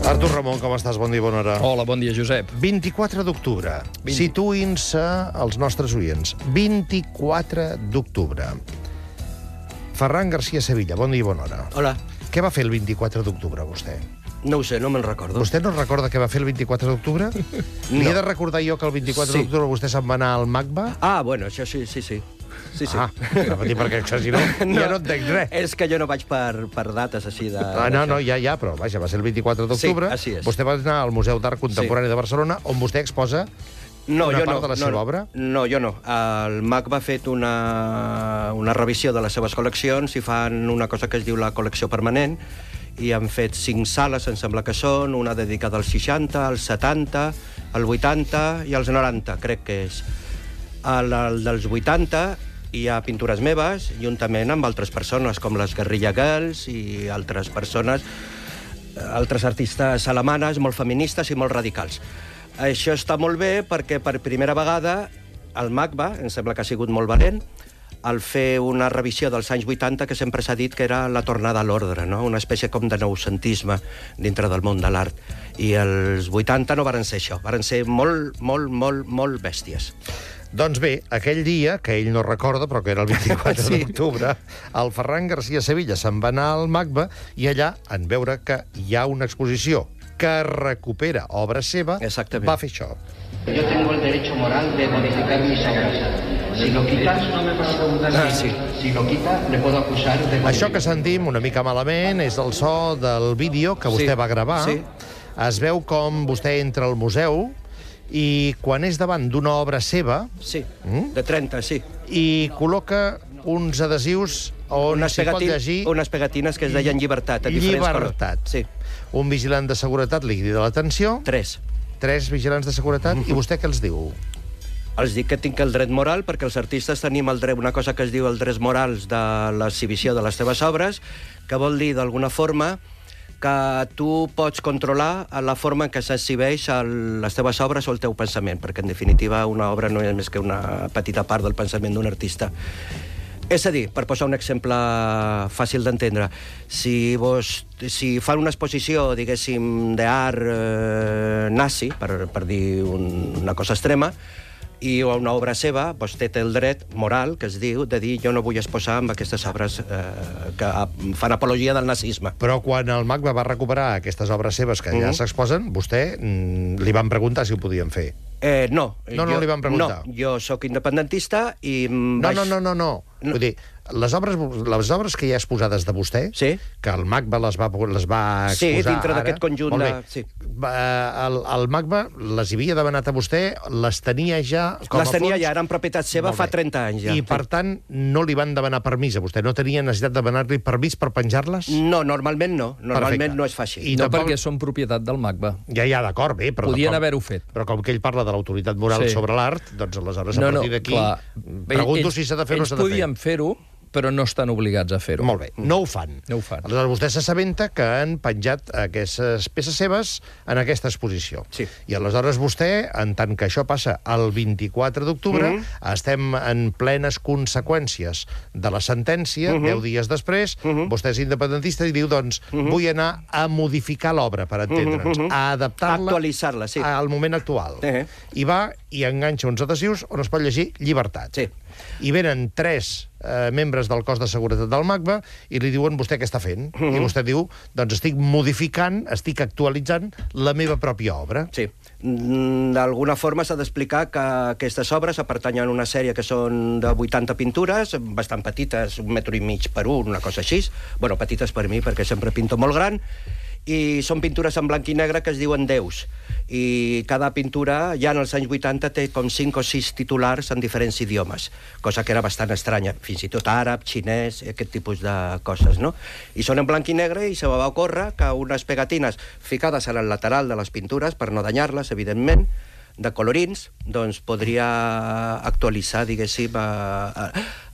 Artur Ramon, com estàs? Bon dia, bona hora. Hola, bon dia, Josep. 24 d'octubre. Situïn-se els nostres oients. 24 d'octubre. Ferran García Sevilla, bon dia i bona hora. Hola. Què va fer el 24 d'octubre, vostè? No ho sé, no me'n recordo. Vostè no recorda què va fer el 24 d'octubre? No. Li he de recordar jo que el 24 Sí. d'octubre vostè se'n va anar al MACBA? Ah, bueno, això sí. Ah, anava a dir perquè si no, ja no entenc res. És que jo no vaig per dates així de... No, ja, però vaja, va ser el 24 d'octubre. Sí, així és. Vostè va anar al Museu d'Art Contemporani de Barcelona, on vostè exposa una part de la seva obra? No, jo no. El MACBA ha fet una revisió de les seves col·leccions i fan una cosa que es diu la col·lecció permanent, i han fet 5 sales, em sembla que són, una dedicada als 60, als 70, als 80 i als 90, crec que és. Al dels 80 hi ha pintures meves, juntament amb altres persones, com les Guerrilla Girls i altres persones, altres artistes alemanes, molt feministes i molt radicals. Això està molt bé perquè per primera vegada el MACBA, em sembla que ha sigut molt valent, al fer una revisió dels anys 80, que sempre s'ha dit que era la tornada a l'ordre, no? Una espècie com de noucentisme dintre del món de l'art. I els 80 no varen ser això, varen ser molt bèsties. Doncs bé, aquell dia, que ell no recorda, però que era el 24 d'octubre, el Ferran García Sevilla se'n va anar al MACBA i allà, en veure que hi ha una exposició que recupera obra seva, Exactament. va fer això. Yo tengo el derecho moral de modificar mis obras. Si lo quitas, si lo quita, le puedo acusar de... Això que sentim una mica malament és el so del vídeo que vostè va gravar. Sí. Es veu com vostè entra al museu i quan és davant d'una obra seva Sí, de 30, sí. i col·loca uns adhesius on s'hi pot llegir unes pegatines que es deien llibertat, a diferents llibertat. colors. Sí. Un vigilant de seguretat li crida l'atenció, 3. 3 vigilants de seguretat, i vostè què els diu? Els dic que tinc el dret moral, perquè els artistes tenim el dret, una cosa que es diu els drets morals de l'exhibició de les teves obres, que vol dir, d'alguna forma, que tu pots controlar la forma en què s'exhibeix les teves obres o el teu pensament, perquè, en definitiva, una obra no és més que una petita part del pensament d'un artista. És a dir, per posar un exemple fàcil d'entendre, si fan una exposició, diguéssim, d'art nazi, per dir una cosa extrema, i una obra seva, vostè té el dret moral, que es diu, de dir jo no vull exposar amb aquestes obres que fan apologia del nazisme. Però quan el MACBA va recuperar aquestes obres seves que ja s'exposen, vostè li van preguntar si ho podien fer. No. No li van preguntar. No, jo sóc independentista i... No. Vull dir, les obres que hi ha exposades de vostè, Sí. que el MACBA les va exposar Sí, dintre ara, d'aquest conjunt molt bé. de... Sí. El MACBA les havia demanat a vostè, les tenia ja com a Les tenia fons? ja, eren propietat seva Molt fa bé. 30 anys ja. I, per tant, no li van demanar permís a vostè? No tenia necessitat de demanar-li permís per penjar-les? No, normalment no. Normalment Perfecte. no es fa així. I No tampoc- perquè són propietat del MACBA. Ja, d'acord, bé, però... Podien com- haver-ho fet. Però com que ell parla de l'autoritat moral Sí. sobre l'art, doncs aleshores, a partir d'aquí, clar. pregunto si s'ha de fer o no s'ha de fer. Ells podien fer-ho, però no estan obligats a fer-ho. Molt bé, no ho fan. No ho fan. Aleshores, vostè s'assabenta que han penjat aquestes peces seves en aquesta exposició. Sí. I aleshores vostè, en tant que això passa el 24 d'octubre, estem en plenes conseqüències de la sentència, 10 dies després, vostè és independentista i diu, doncs, vull anar a modificar l'obra, per entendre'ns, a adaptar-la Actualitzar-la, sí. al moment actual. I va i enganxa uns adhesius on es pot llegir llibertat. Sí. I venen 3 membres del cos de seguretat del MACBA i li diuen, vostè què està fent? I vostè diu, doncs estic modificant, estic actualitzant la meva pròpia obra. Sí. D'alguna forma s'ha d'explicar que aquestes obres pertanyen a una sèrie que són de 80 pintures, bastant petites, 1,5 metres per 1, una cosa així. Bueno, petites per mi, perquè sempre pinto molt gran. I són pintures en blanc i negre que es diuen déus. I cada pintura, ja en els anys 80, té com 5 o 6 titulars en diferents idiomes, cosa que era bastant estranya, fins i tot àrab, xinès, aquest tipus de coses, no? I són en blanc i negre i se me va ocórrer que unes pegatines ficades en el lateral de les pintures, per no danyar-les, evidentment, de colorins, doncs podria actualitzar, diguéssim,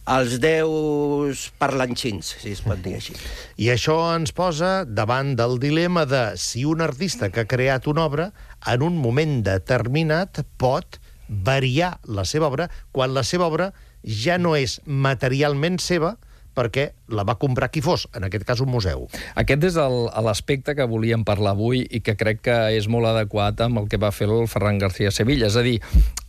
els déus parlanxins, si es pot dir així. I això ens posa davant del dilema de si un artista que ha creat una obra en un moment determinat pot variar la seva obra quan la seva obra ja no és materialment seva, perquè la va comprar qui fos, en aquest cas un museu. Aquest és l'aspecte que volíem parlar avui i que crec que és molt adequat amb el que va fer el Ferran García Sevilla. És a dir,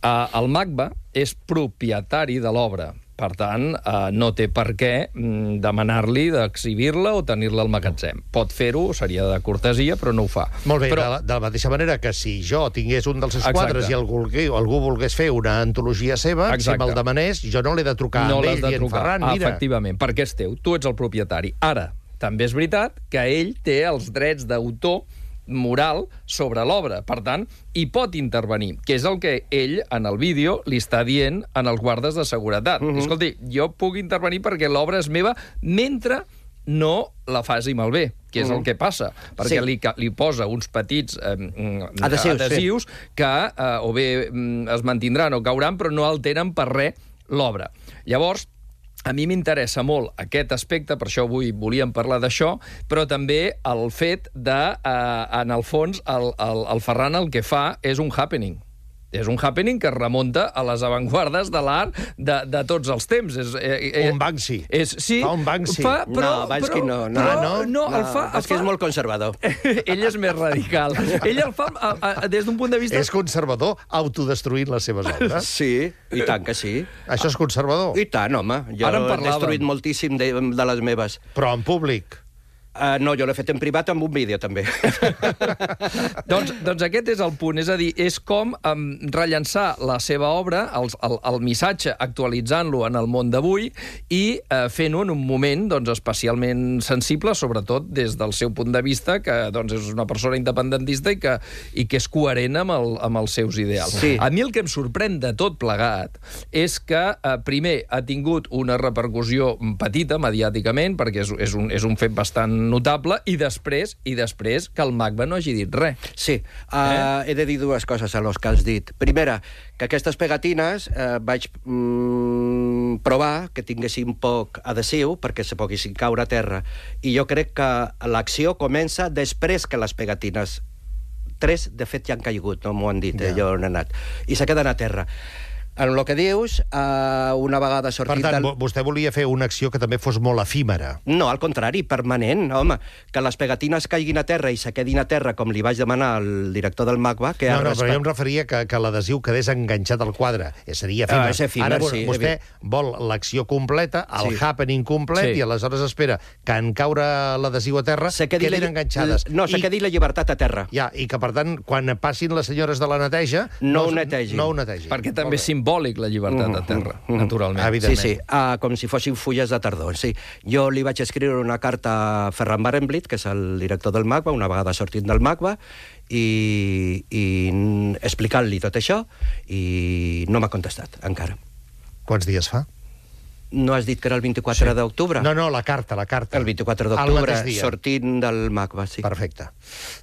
el MACBA és propietari de l'obra. Per tant, no té per què demanar-li d'exhibir-la o tenir-la al magatzem. Pot fer-ho, seria de cortesia, però no ho fa. Molt bé, però... de la mateixa manera que si jo tingués un dels seus quadres i algú volgués fer una antologia seva, si me'l demanés, jo no l'he de trucar amb ell dient, Ferran, mira... Efectivament, perquè és teu, tu ets el propietari. Ara, també és veritat que ell té els drets d'autor moral sobre l'obra. Per tant, hi pot intervenir, que és el que ell, en el vídeo, li està dient en els guardes de seguretat. Escolti, jo puc intervenir perquè l'obra és meva mentre no la faci malbé, que és el que passa, perquè li posa uns petits adhesius que o bé es mantindran o cauran, però no alteren per res l'obra. Llavors, a mi m'interessa molt aquest aspecte, per això avui volíem parlar d'això, però també el fet de, en el fons, el Ferran el que fa és un happening. És un happening que es remunta a les avantguardes de l'art de tots els temps. Un Banksy. Sí, fa un Banksy. No, Banksy no. Banksy és molt conservador. Ell és més radical. Ell el fa des d'un punt de vista... És conservador, autodestruint les seves obres? Sí, i tant que sí. Això és conservador? I tant, home. Jo he destruït moltíssim de les meves. Però en públic? No, jo l'he fet en privat amb un vídeo, també. doncs aquest és el punt. És a dir, és com rellençar la seva obra, el missatge, actualitzant-lo en el món d'avui i fent-ho en un moment especialment sensible, sobretot des del seu punt de vista, que és una persona independentista i que és coherent amb els seus ideals. Sí. A mi el que em sorprèn de tot plegat és que, primer, ha tingut una repercussió petita mediàticament, perquè és un fet bastant notable, i després que el MACBA no hagi dit res. Sí, he de dir dues coses a los que has dit. Primera, que aquestes pegatines vaig provar que tinguessin poc adhesiu perquè se poguessin caure a terra. I jo crec que l'acció comença després que les pegatines... 3, de fet, ja han caigut, no m'ho han dit, jo on he anat. I se queden a terra. En el que dius, una vegada sortit... Per tant, vostè volia fer una acció que també fos molt efímera. No, al contrari, permanent, home. Que les pegatines caiguin a terra i se quedin a terra, com li vaig demanar al director del MACBA... No, però jo em referia que l'adhesiu quedés enganxat al quadre. Seria efímer. És efímer, ara, sí. Vostè vol l'acció completa, el happening complet, i aleshores espera que en caure l'adhesiu a terra quedin enganxades. No, se quedi la llibertat a terra. Ja, i que, per tant, quan passin les senyores de la neteja... No ho netegin. Perquè també és simbòlic la llibertat a terra, naturalment. Evidentment. Sí, com si fossin fulles de tardor. Sí. Jo li vaig escriure una carta a Ferran Barenblit, que és el director del MACBA, una vegada sortint del MACBA, i explicant-li tot això, i no m'ha contestat, encara. Quants dies fa? No has dit que era el 24 d'octubre? No, la carta. El 24 d'octubre, sortint del MACBA, sí. Perfecte.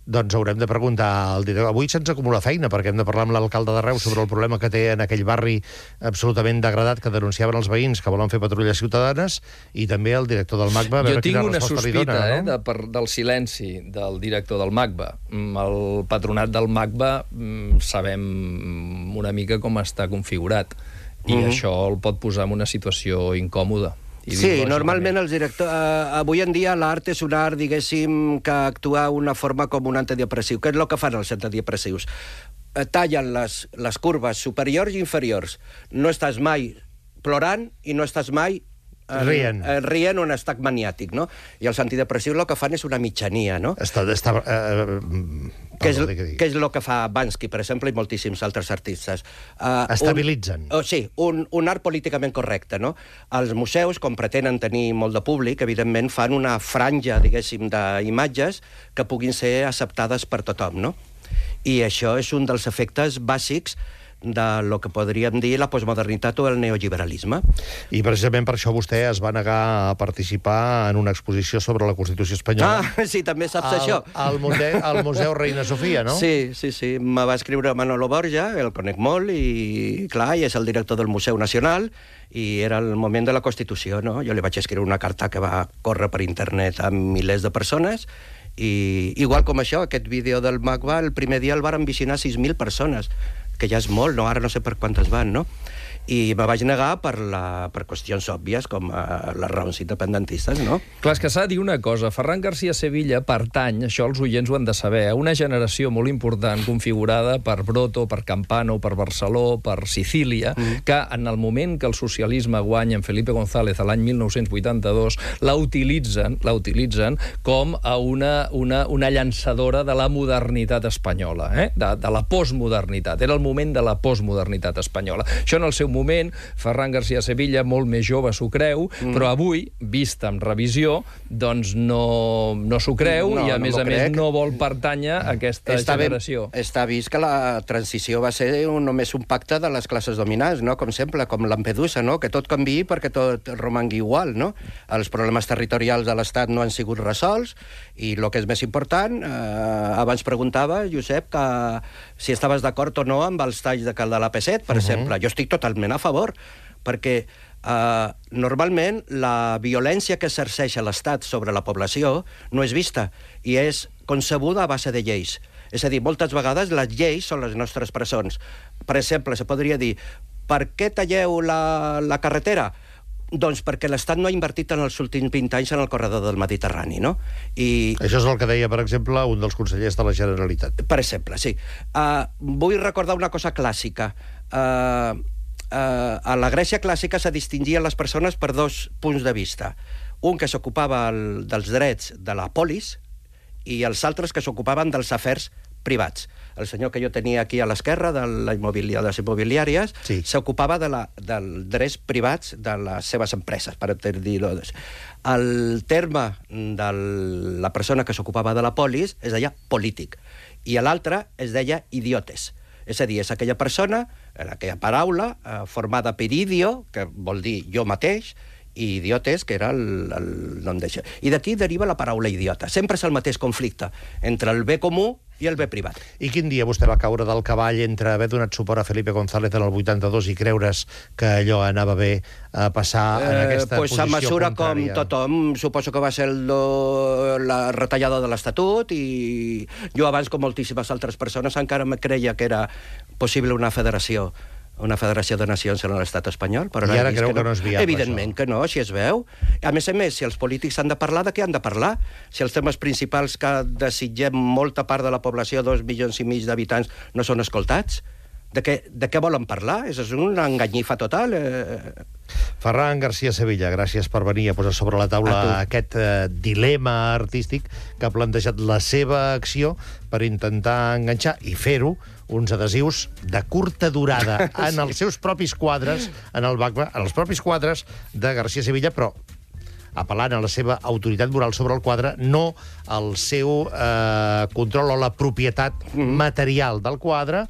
Doncs haurem de preguntar al director. Avui se'ns acumula feina, perquè hem de parlar amb l'alcalde de Reus sobre el problema que té en aquell barri absolutament degradat que denunciaven els veïns que volen fer patrulles ciutadanes, i també el director del MACBA. Jo tinc una sospita del silenci del director del MACBA. El patronat del MACBA sabem una mica com està configurat. I això el pot posar en una situació incòmoda. Sí, normalment els directors... avui en dia l'art és un art, diguéssim, que actua d'una forma com un antidepressiu. Què és el que fan els antidepressius? Tallen les curves superiors i inferiors. No estàs mai plorant i no estàs mai rient un estat maniàtic, no? I els antidepressius el que fan és una mitjania, no? Què és el que fa Banksy, per exemple, i moltíssims altres artistes? Estabilitzen. Sí, un art políticament correcte, no? Els museus, com pretenen tenir molt de públic, evidentment fan una franja, diguéssim, d'imatges que puguin ser acceptades per tothom, no? I això és un dels efectes bàsics de lo que podríem dir la postmodernitat o el neoliberalisme. I precisament per això vostè es va negar a participar en una exposició sobre la Constitució espanyola. Sí, també saps això. Al Museu Reina Sofia, no? Sí. Me va escriure Manolo Borja, el conec molt, i clar, és el director del Museu Nacional, i era el moment de la Constitució, no? Jo li vaig escriure una carta que va córrer per internet a milers de persones, i igual com això, aquest vídeo del MACBA, el primer dia el varen visionar 6.000 persones, que ja és molt, no? Ara no sé per quantes van, no? I me vaig negar per qüestions òbvies, com les raons independentistes, no? Clar, és que s'ha de dir una cosa. Ferran García Sevilla pertany, això els oients ho han de saber, a una generació molt important configurada per Broto, per Campano, per Barceló, per Sicília, que en el moment que el socialisme guanya en Felipe González a l'any 1982, la utilitzen com a una llançadora de la modernitat espanyola, de la postmodernitat. Era el moment de la postmodernitat espanyola. Això en el seu moment, Ferran García Sevilla, molt més jove, s'ho creu, però avui, vista amb revisió, doncs no s'ho creu i, a més, no vol pertànyer a aquesta generació. Està vist que la transició va ser només un pacte de les classes dominants, no? Com sempre, com Lampedusa, no? Que tot canviï perquè tot romangui igual, no? Els problemes territorials de l'Estat no han sigut resolts i el que és més important, abans preguntava, Josep, que si estaves d'acord o no amb els talls de cal de l'AP7, per exemple. Jo estic totalment a favor, perquè normalment la violència que exerceix l'Estat sobre la població no és vista i és concebuda a base de lleis. És a dir, moltes vegades les lleis són les nostres presons. Per exemple, se podria dir, per què talleu la carretera? Doncs perquè l'Estat no ha invertit en els últims 20 anys en el corredor del Mediterrani, no? Això és el que deia, per exemple, un dels consellers de la Generalitat. Per exemple, sí. Vull recordar una cosa clàssica. A la Grècia clàssica se distingien les persones per dos punts de vista. Un que s'ocupava dels drets de la polis i els altres que s'ocupaven dels afers privats. El senyor que jo tenia aquí a l'esquerra, de les immobiliàries, s'ocupava dels drets privats de les seves empreses, per dir-ho. El terme de la persona que s'ocupava de la polis es deia polític, i l'altre es deia idiotes. És a dir, és aquella persona, aquella paraula, formada per idio, que vol dir jo mateix, i idiotes, que era el nom d'això. I d'aquí deriva la paraula idiota. Sempre és el mateix conflicte entre el bé comú i el bé privat. I quin dia vostè va caure del cavall entre haver donat suport a Felipe González en el 82 i creure's que allò anava bé a passar en aquesta posició a mesura contrària? Com tothom, suposo que va ser la retallada de l'Estatut, i jo abans, com moltíssimes altres persones, encara me creia que era possible una federació de nacions en l'estat espanyol, però i ara creu que no és viable. Evidentment que no, si es veu. A més, si els polítics han de parlar, de què han de parlar? Si els temes principals que desitgem molta part de la població, 2,5 milions d'habitants, no són escoltats, de què volen parlar? És una enganyifa total. Ferran García Sevilla, gràcies per venir a posar sobre la taula aquest dilema artístic que ha plantejat la seva acció per intentar enganxar i fer-ho uns adhesius de curta durada en els seus propis quadres, en els propis quadres de García Sevilla, però apel·lant a la seva autoritat moral sobre el quadre, no al seu control o la propietat material del quadre,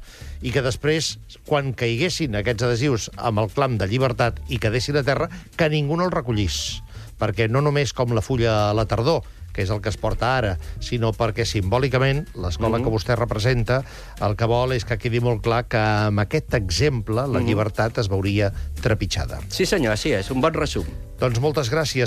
i que després, quan caiguessin aquests adhesius amb el clam de llibertat i quedessin a terra, que ningú no els recollís. Perquè no només com la fulla a la tardor, que és el que es porta ara, sinó perquè simbòlicament l'escola que vostè representa el que vol és que quedi molt clar que amb aquest exemple la llibertat es veuria trepitjada. Sí senyor, així és, un bon resum. Doncs moltes gràcies.